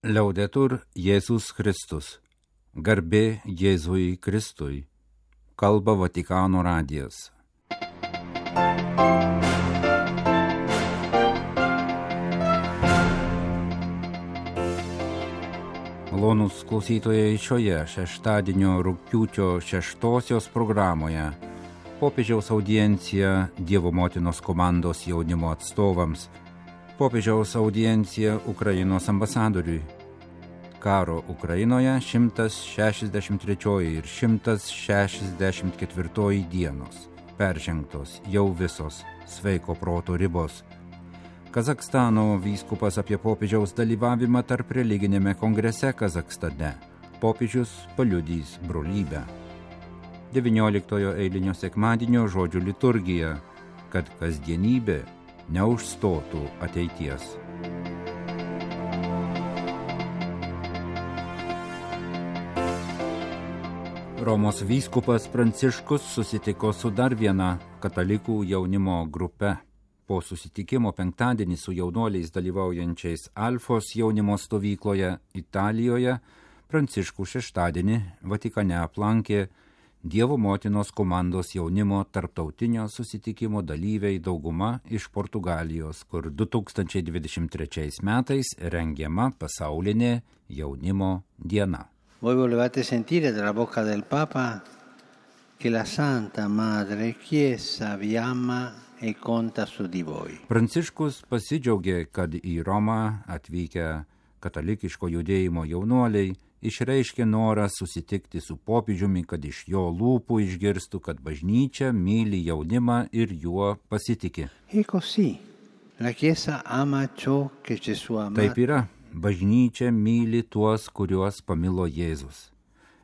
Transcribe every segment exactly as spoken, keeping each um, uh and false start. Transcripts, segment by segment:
Liaudetur Jėzus Kristus. Garbė Jėzui Kristui. Kalba Vatikano radijas. Malonūs klausytojai, šioje šeštadienio rugpjūčio šeštosios programoje popiežiaus audiencija Dievo motinos komandos jaunimo atstovams, popiežiaus audiencija Ukrainos ambasadoriui, karo Ukrainoje šimtas šešiasdešimt trečioji ir šimtas šešiasdešimt ketvirtoji dienos, peržengtos jau visos sveiko proto ribos. Kazachstano vyskupas apie popiežiaus dalyvavimą tarp religinėme kongrese Kazachstane. Popiežius paliudys brolybę. devynioliktojo eilinio sekmadienio žodžių liturgija, kad kasdienybė neužstotų ateities. Romos vyskupas Pranciškus susitiko su dar viena katalikų jaunimo grupe. Po susitikimo penktadienį su jaunuoliais dalyvaujančiais Alfos jaunimo stovykloje Italijoje, Pranciškų šeštadienį Vatikane aplankė Dievo motinos komandos jaunimo tarptautinio susitikimo dalyviai dauguma iš Portugalijos, kur du tūkstančiai dvidešimt trečiais metais rengiama pasaulinė jaunimo diena. Voi volevate sentire dalla bocca del Papa che la Santa Madre Chiesa vi ama e conta su di voi. Pranciškus pasidžiaugė, kad į Romą atvykę katalikiško judėjimo jaunuoliai išreiškė norą susitikti su popiežiumi, kad iš jo lūpų išgirstų, kad bažnyčia myli jaunimą ir juo pasitiki. E così, la Chiesa ama ciò che Gesù ama. Taip yra, bažnyčia myli tuos, kuriuos pamilo Jėzus.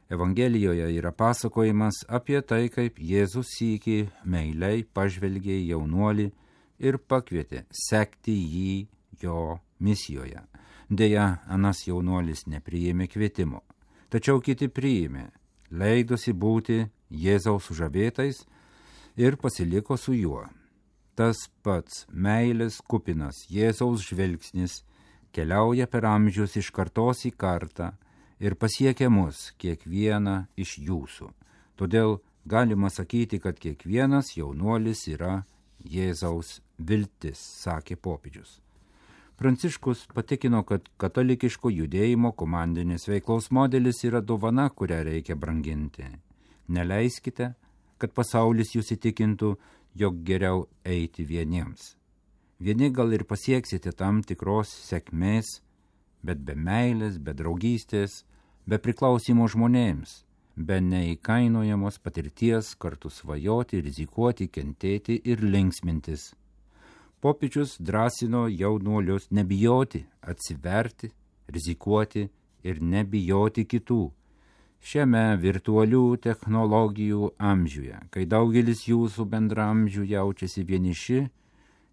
Evangelijoje yra pasakojimas apie tai, kaip Jėzus sykį meiliai pažvelgė į jaunuolį ir pakvietė sekti jį jo misijoje. Deja, anas jaunuolis nepriėmė kvietimo, tačiau kiti priėmė, leidosi būti Jėzaus sužavėtais ir pasiliko su juo. Tas pats meilės kupinas Jėzaus žvilgsnis keliauja per amžius iš kartos į kartą ir pasiekia mus, kiekvieną iš jūsų. Todėl galima sakyti, kad kiekvienas jaunuolis yra Jėzaus viltis, sakė popiežius. Pranciškus patikino, kad katalikiško judėjimo komandinės veiklos modelis yra dovana, kurią reikia branginti. Neleiskite, kad pasaulis jūs įtikintų, jog geriau eiti vieniems. Vieni gal ir pasieksite tam tikros sėkmės, bet be meilės, be draugystės, be priklausimo žmonėms, be neįkainojamos patirties kartu svajoti, rizikuoti, kentėti ir linksmintis. Popiežius drąsino jaunuolius nebijoti, atsiverti, rizikuoti ir nebijoti kitų. Šiame virtualių technologijų amžiuje, kai daugelis jūsų bendramžių jaučiasi vieniši,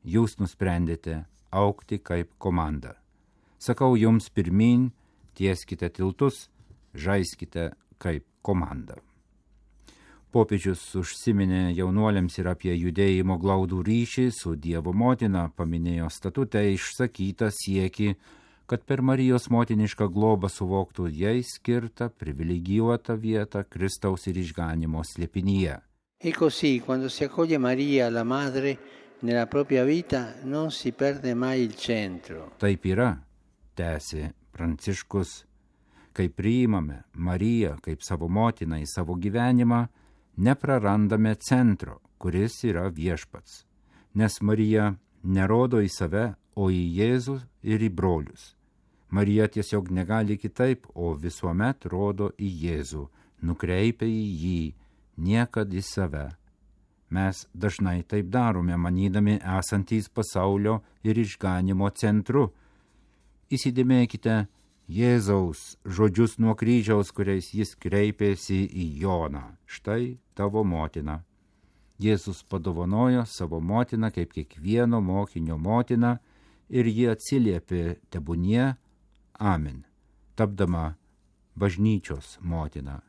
jūs nusprendėte augti kaip komanda. Sakau jums pirmyn, tieskite tiltus, žaiskite kaip komanda. Popiežius užsiminė jaunuoliams ir apie judėjimo glaudų ryšį su Dievo motina, paminėjo statute išsakytą siekį, kad per Marijos motinišką globą suvoktų jai skirtą privilegijuotą vietą Kristaus ir išganymo slėpinyje. E così, quando si accoglie Maria, la madre, nella propria vita, non si perde mai il centro. Taip yra, tęsė Pranciškus, kai priimame Mariją kaip savo motiną į savo gyvenimą, neprarandame centro, kuris yra viešpats, nes Marija nerodo į save, o į Jėzų ir į brolius. Marija tiesiog negali kitaip, o visuomet rodo į Jėzų, nukreipia į jį, niekad į save. Mes dažnai taip darome, manydami esantys pasaulio ir išganimo centru. Įsidėmėkite Jėzaus žodžius nuo kryžiaus, kuriais jis kreipėsi į Joną. Štai tavo motina. Jėzus padovanojo savo motiną kaip kiekvieno mokinio motiną ir ji atsiliepė tebūnie Amen, tapdama bažnyčios motina.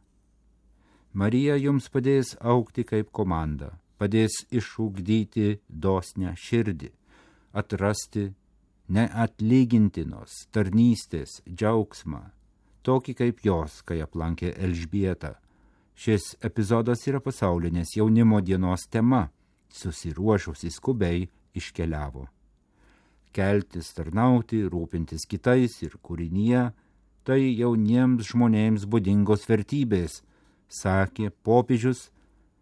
Marija jums padės augti kaip komanda, padės išugdyti dosnią širdį, atrasti neatlygintinos tarnystės džiaugsmą, tokį kaip jos, kai aplankė Elžbietą. Šis epizodas yra pasaulinės jaunimo dienos tema, susiruošusi skubiai iškeliavo. Keltis, tarnauti, rūpintis kitais ir kūrinyje – tai jauniems žmonėms būdingos vertybės, sakė popiežius,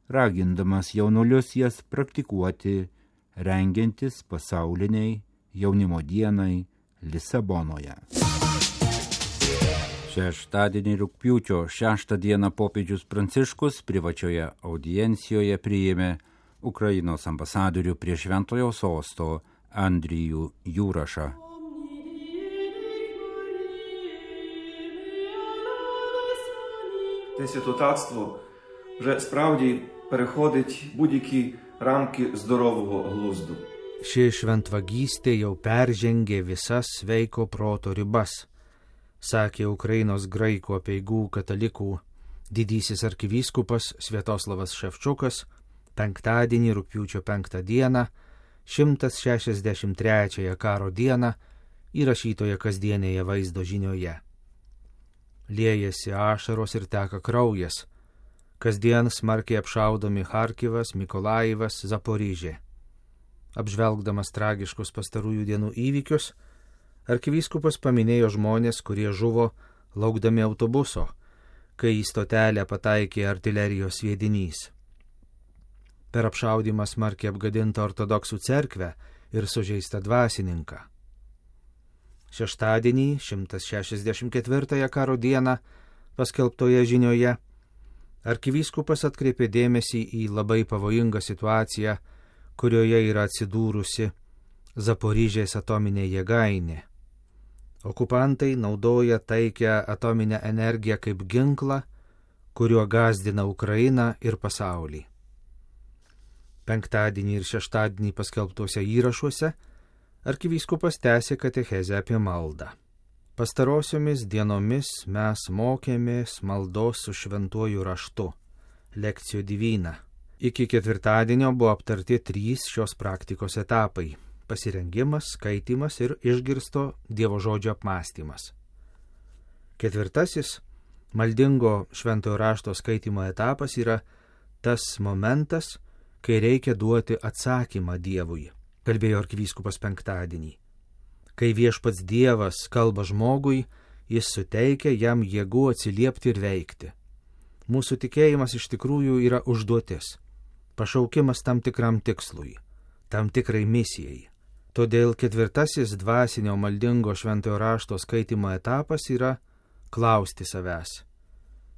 ragindamas jaunuolius jas praktikuoti, rengiantis pasauliniai jaunimo dienai Lisabonoje. Šeštadienį rugpjūčio šeštą dieną popiežius Pranciškus privačioje audiencijoje priėmė Ukrainos ambasadorių prie Šventojo sosto Andrijų Jurašą. Те святотатство вже справді переходить будь-які рамки здорового глузду. Ši šventvagystė jau peržengė visas sveiko proto ribas, sakė Ukrainos graikų apeigų katalikų didysis arkivyskupas Sviatoslavas Ševčukas penktadienį rugpjūčio penktą dieną, šimtas šešiasdešimt trečiąją karo dieną įrašytoje kasdienėje vaizdo žinioje. Liejasi ašaros ir teka kraujas, kasdien smarkiai apšaudomi Charkivas, Mikolajivas, Zaporižė. Apžvelgdamas tragiškus pastarųjų dienų įvykius, arkivyskupas paminėjo žmonės, kurie žuvo laukdami autobuso, kai į stotelę pataikė artilerijos sviedinys. Per apšaudymą smarkiai apgadintą ortodoksų cerkvę ir sužeistą dvasininką. Šeštadienį, šimtas šešiasdešimt ketvirtąją karo dieną, paskelbtoje žinioje, arkivyskupas atkreipė dėmesį į labai pavojingą situaciją, kurioje yra atsidūrusi Zaporižės atominė jėgainė. Okupantai naudoja taikią atominę energiją kaip ginklą, kuriuo gąsdina Ukrainą ir pasaulį. Penktadienį ir šeštadienį paskelbtuose įrašuose arkivyskupas tęsė katechezę apie maldą. Pastarosiomis dienomis mes mokėmės maldos su šventuoju raštu, lekcijų divina. Iki ketvirtadienio buvo aptarti trys šios praktikos etapai – pasirengimas, skaitimas ir išgirsto Dievo žodžio apmąstymas. Ketvirtasis – maldingo šventojo rašto skaitimo etapas yra tas momentas, kai reikia duoti atsakymą Dievui, kalbėjo arkivyskupas penktadienį. Kai viešpats Dievas kalba žmogui, jis suteikia jam jėgų atsiliepti ir veikti. Mūsų tikėjimas iš tikrųjų yra užduotis, pašaukimas tam tikram tikslui, tam tikrai misijai. Todėl ketvirtasis dvasinio maldingo šventojo rašto skaitimo etapas yra klausti savęs,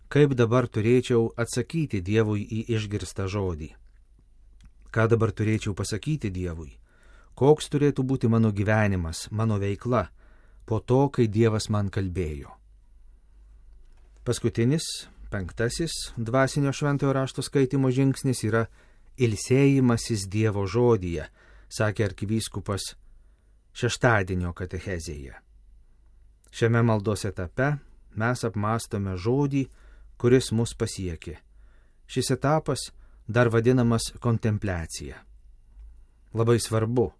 kaip dabar turėčiau atsakyti Dievui į išgirstą žodį. Ką dabar turėčiau pasakyti Dievui? Koks turėtų būti mano gyvenimas, mano veikla, po to, kai Dievas man kalbėjo. Paskutinis, penktasis dvasinio šventojo rašto skaitimo žingsnis yra ilsėjimasis Dievo žodyje, sakė arkivyskupas šeštadienio katechezėje. Šiame maldos etape mes apmąstome žodį, kuris mus pasiekė. Šis etapas dar vadinamas kontempliacija. Labai svarbu,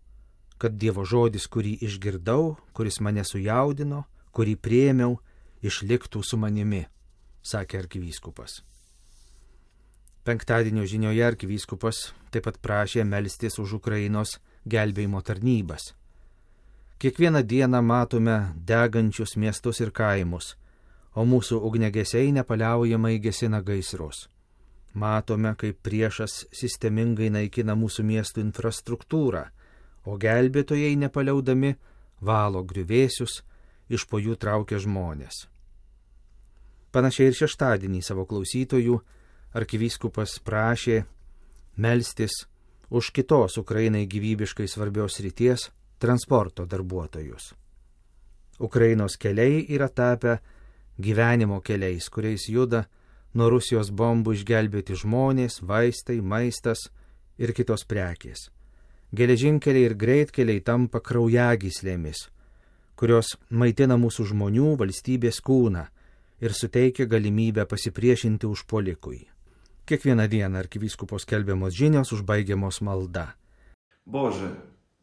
kad Dievo žodis, kurį išgirdau, kuris mane sujaudino, kurį priėmiau, išliktų su manimi, sakė arkivyskupas. Penktadienio žinioje arkivyskupas taip pat prašė melstis už Ukrainos gelbėjimo tarnybas. Kiekvieną dieną matome degančius miestus ir kaimus, o mūsų ugniagesiai nepaliaujamai gesina gaisrus. Matome, kaip priešas sistemingai naikina mūsų miestų infrastruktūrą, o gelbėtojai nepaliaudami valo griuvėsius, iš po jų traukia žmonės. Panašiai ir šeštadienį savo klausytojų arkivyskupas prašė melstis už kitos Ukrainai gyvybiškai svarbios srities transporto darbuotojus. Ukrainos keliai yra tapę gyvenimo keliais, kuriais juda nuo Rusijos bombų išgelbėti žmonės, vaistai, maistas ir kitos prekės. Geležinkeliai ir greitkeliai tampa kraujagyslėmis, kurios maitina mūsų žmonių valstybės kūną ir suteikia galimybę pasipriešinti užpuolikui. Kiekvieną dieną arkivyskupo skelbiamos žinios užbaigiamos malda. Boże,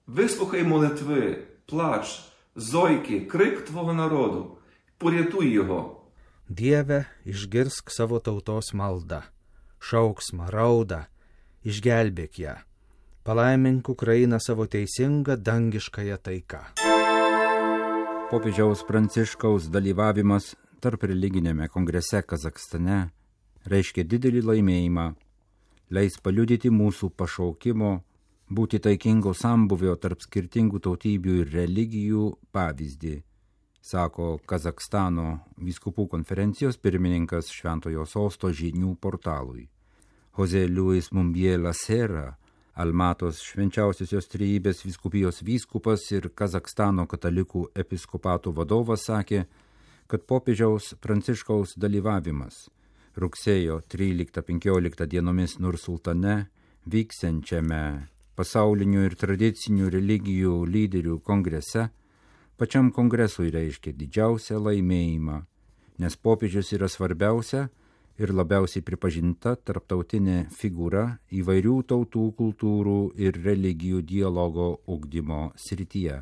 wysłuchaj modlitwy плач, зойки, крик Твого народу, порятуй його. Dieve, išgirsk savo tautos maldą, šauksmą, raudą, išgelbėk ją. Palaimink Ukrainą savo teisingą dangiškąją taiką. Popiežiaus Pranciškaus dalyvavimas tarp religinėme kongrese Kazakstane reiškia didelį laimėjimą, leis paliudyti mūsų pašaukimo būti taikingo sambuvio tarp skirtingų tautybių ir religijų pavyzdį, sako Kazakstano vyskupų konferencijos pirmininkas Šventojo Sosto žinių portalui. Jose Luis Mumbiela Serra, Almatos švenčiausiosios trejybės vyskupijos vyskupas ir Kazakstano katalikų episkopatų vadovas sakė, kad popiežiaus Pranciškaus dalyvavimas rugsėjo tryliktą penkioliktą dienomis Nursultane vyksiančiame pasaulinių ir tradicinių religijų lyderių kongrese pačiam kongresui reiškia didžiausią laimėjimą, nes popiežius yra svarbiausia ir labiausiai pripažinta tarptautinė figūra įvairių tautų, kultūrų ir religijų dialogo ugdymo srityje.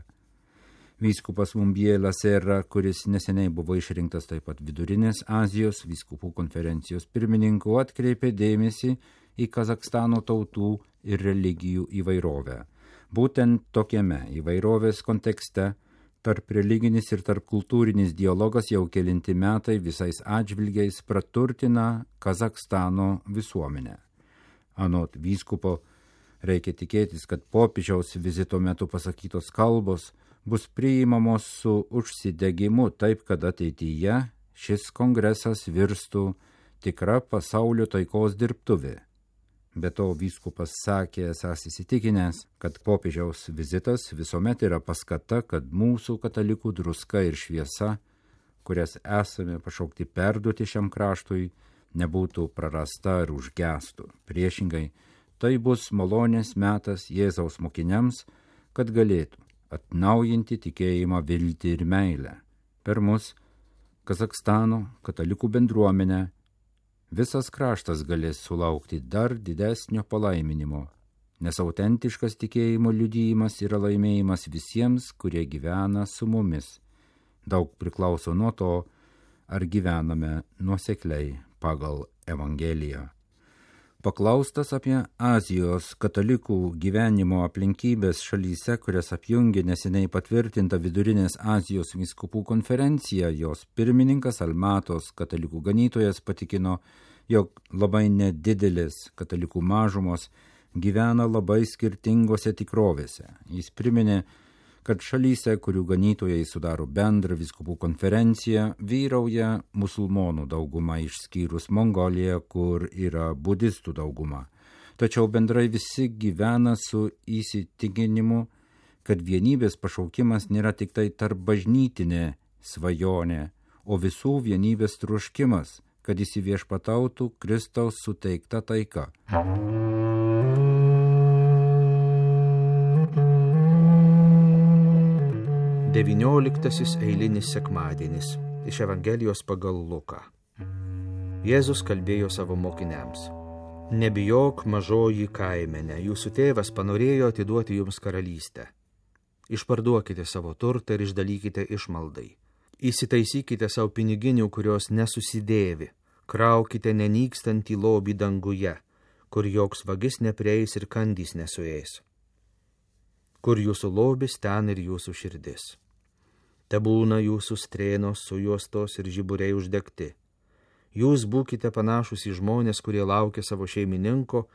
Vyskupas Mumbiela Serra, kuris neseniai buvo išrinktas taip pat Vidurinės Azijos vyskupų konferencijos pirmininku, atkreipė dėmesį į Kazakstano tautų ir religijų įvairovę. Būtent tokiame įvairovės kontekste tarp religinis ir tarp kultūrinis dialogas jau kelinti metai visais atžvilgiais praturtina Kazakstano visuomenę. Anot vyskupo, reikia tikėtis, kad popiežiaus vizito metu pasakytos kalbos bus priimamos su užsidegimu taip, kad ateityje šis kongresas virstų tikra pasaulio taikos dirbtuvė. Be to, vyskupas sakė, esąs įsitikinęs, kad popiežiaus vizitas visuomet yra paskata, kad mūsų katalikų druska ir šviesa, kurias esame pašaukti perduoti šiam kraštui, nebūtų prarasta ar užgestų. Priešingai, tai bus malonės metas Jėzaus mokiniams, kad galėtų atnaujinti tikėjimą, viltį ir meilę. Per mus, Kazakstano katalikų bendruomenę, visas kraštas galės sulaukti dar didesnio palaiminimo, nes autentiškas tikėjimo liudijimas yra laimėjimas visiems, kurie gyvena su mumis. Daug priklauso nuo to, ar gyvename nuosekliai pagal Evangeliją. Paklaustas apie Azijos katalikų gyvenimo aplinkybės šalyse, kurias apjungė neseniai patvirtinta Vidurinės Azijos vyskupų konferencija, jos pirmininkas Almatos katalikų ganytojas patikino, jog labai nedidelis katalikų mažumos gyvena labai skirtingose tikrovėse. Jis priminė, kad šalyse, kurių ganytojai sudaro bendrą vyskupų konferenciją, vyrauja musulmonų dauguma išskyrus Mongoliją, kur yra budistų dauguma. Tačiau bendrai visi gyvena su įsitikinimu, kad vienybės pašaukimas nėra tik tai tarp bažnytinė svajonė, o visų vienybės troškimas, kad įsiviešpatautų Kristaus suteikta taika. Devynioliktasis eilinis sekmadienis iš Evangelijos pagal Luką. Jėzus kalbėjo savo mokiniams: Nebijok, mažoji kaimenė, jūsų tėvas panorėjo atiduoti jums karalystę. Išparduokite savo turtą ir išdalykite išmaldai. Įsitaisykite savo piniginių, kurios nesusidėvi. Kraukite nenykstantį lobį danguje, kur joks vagis neprieis ir kandys nesuės. Kur jūsų lobis, ten ir jūsų širdis. Tebūna jūsų strėnos sujuostos ir žiburiai uždegti. Jūs būkite panašus į žmonės, kurie laukia savo šeimininko,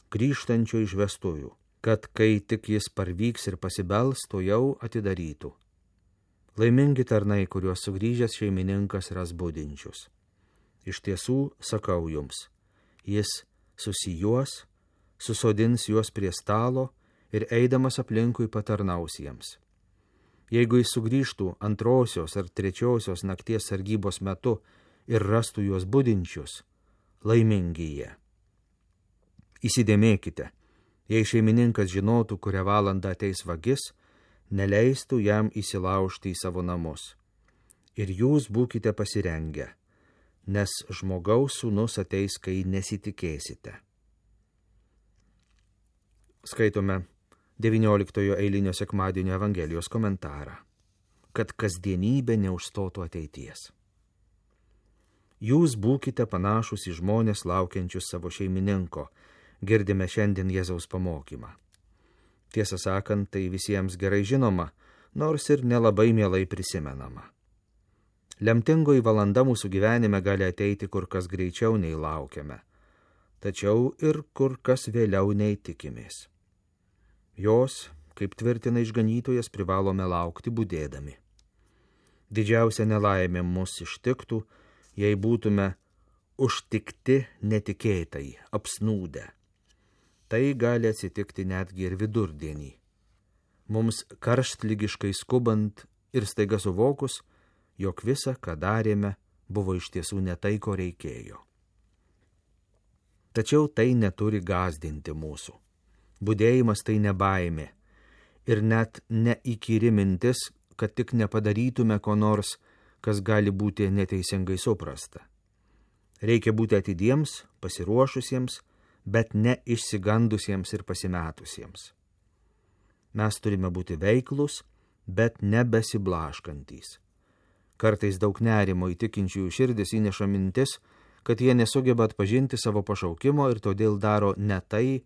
grįžtančio iš vestuvių, kad kai tik jis parvyks ir pasibels, to jau atidarytų. Laimingi tarnai, kuriuos sugrįžęs šeimininkas ras budinčius. Iš tiesų, sakau jums, jis susijuos, susodins juos prie stalo ir eidamas aplinkui patarnaus jiems. Jeigu jis sugrįžtų antrosios ar trečiosios nakties sargybos metu ir rastų juos budinčius, laimingi jie. Įsidėmėkite, jei šeimininkas žinotų, kurią valandą ateis vagis, neleistų jam įsilaužti į savo namus. Ir jūs būkite pasirengę, nes žmogaus sūnus ateis, kai nesitikėsite. Skaitome devynioliktojo eilinio sekmadienio Evangelijos komentarą, kad kasdienybė neužstotų ateities. Jūs būkite panašus į žmonės laukiančius savo šeimininko, girdime šiandien Jėzaus pamokymą. Tiesą sakant, tai visiems gerai žinoma, nors ir nelabai mielai prisimenama. Lemtingoji valanda mūsų gyvenime gali ateiti kur kas greičiau nei laukiame, tačiau ir kur kas vėliau nei tikimės. Jos, kaip tvirtina išganytojas, privalome laukti budėdami. Didžiausia nelaimė mus ištiktų, jei būtume užtikti netikėtai, apsnūdę. Tai gali atsitikti netgi ir vidurdienį. Mums karštligiškai skubant ir staiga suvokus, jog visa, ką darėme, buvo iš tiesų ne tai, ko reikėjo. Tačiau tai neturi gąsdinti mūsų. Budėjimas tai ne baimė ir net neįkyri mintis, kad tik nepadarytume ko nors, kas gali būti neteisingai suprasta. Reikia būti atidiems, pasiruošusiems, bet ne išsigandusiems ir pasimetusiems. Mes turime būti veiklus, bet nebesiblaškantys. Kartais daug nerimo įtikinčiųjų širdis įneša mintis, kad jie nesugeba atpažinti savo pašaukimo ir todėl daro ne tai,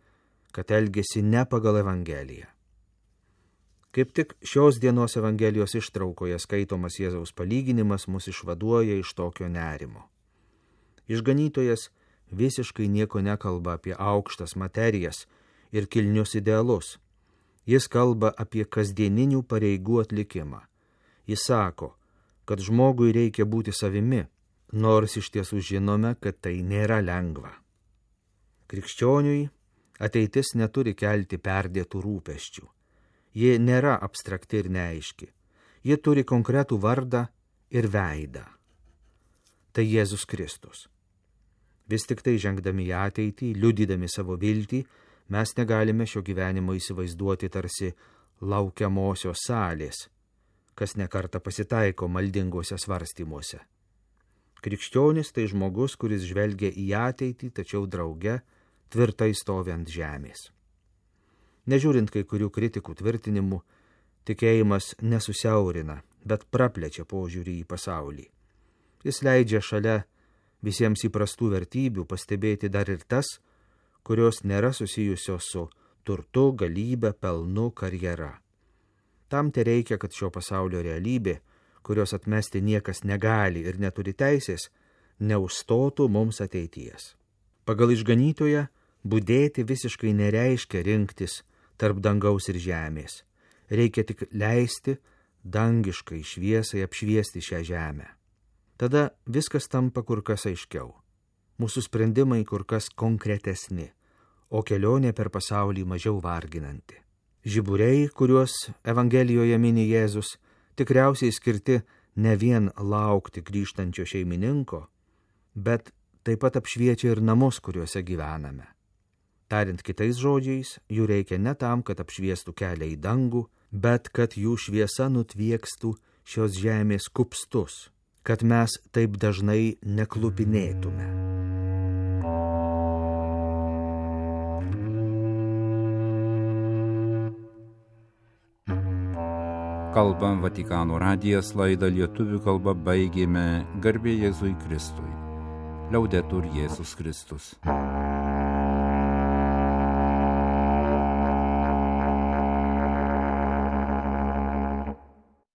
kad elgiasi ne pagal Evangeliją. Kaip tik šios dienos Evangelijos ištraukoje skaitomas Jėzaus palyginimas mus išvaduoja iš tokio nerimo. Išganytojas visiškai nieko nekalba apie aukštas materijas ir kilnius idealus. Jis kalba apie kasdieninių pareigų atlikimą. Jis sako, kad žmogui reikia būti savimi, nors iš tiesų žinome, kad tai nėra lengva. Krikščioniui ateitis neturi kelti perdėtų rūpesčių. Ji nėra abstrakti ir neaiški. Ji turi konkretų vardą ir veidą. Tai Jėzus Kristus. Vis tik tai žengdami į ateitį, liudydami savo viltį, mes negalime šio gyvenimo įsivaizduoti tarsi laukiamosios salės, kas nekartą pasitaiko maldingose svarstymuose. Krikščionis tai žmogus, kuris žvelgia į ateitį, tačiau drauge tvirtai stovi ant žemės. Nežiūrint kai kurių kritikų tvirtinimų, tikėjimas nesusiaurina, bet praplečia požiūrį į pasaulį. Jis leidžia šalia visiems įprastų vertybių pastebėti dar ir tas, kurios nėra susijusios su turtu, galybe, pelnu, karjera. Tam te reikia, kad šio pasaulio realybė, kurios atmesti niekas negali ir neturi teisės, neužstotų mums ateities. Pagal išganytoją budėti visiškai nereiškia rinktis tarp dangaus ir žemės. Reikia tik leisti dangiškai šviesai apšviesti šią žemę. Tada viskas tampa kur kas aiškiau. Mūsų sprendimai kur kas konkretesni, o kelionė per pasaulį mažiau varginanti. Žiburiai, kuriuos Evangelijoje mini Jėzus, tikriausiai skirti ne vien laukti grįžtančio šeimininko, bet taip pat apšviečia ir namus, kuriuose gyvename. Tariant kitais žodžiais, jų reikia ne tam, kad apšviestų kelią į dangų, bet kad jų šviesa nutviekstų šios žemės kupstus, kad mes taip dažnai neklupinėtume. Kalbam Vatikano radijas, laidą lietuvių kalba baigėme. Garbė Jėzui Kristui. Liaudetur Jėzus Kristus.